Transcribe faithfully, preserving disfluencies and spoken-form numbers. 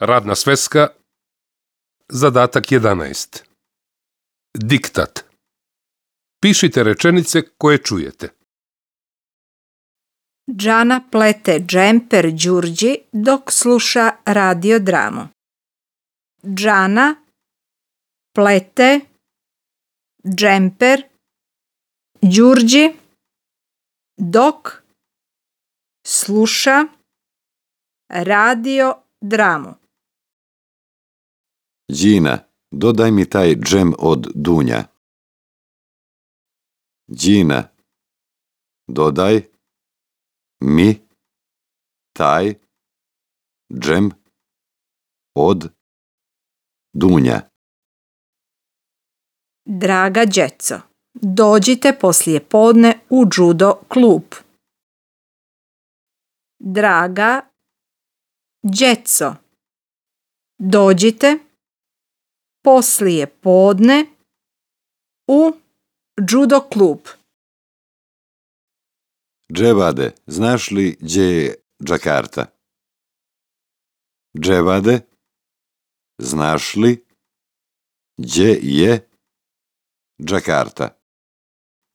Radna sveska, zadatak jedanaest. Diktat. Pišite rečenice koje čujete. Džana plete džemper Đurđi dok sluša radio dramu. Džana plete džemper Đurđi dok sluša radio dramu. Đina, dodaj mi taj džem od Dunja. Đina, dodaj mi taj džem od Dunja. Draga djeco, dođite poslije podne u judo klub. Draga djeco, dođite poslije podne u judo klub. Dževade, znaš li gdje je Džakarta? Dževade, znaš li gdje je Džakarta?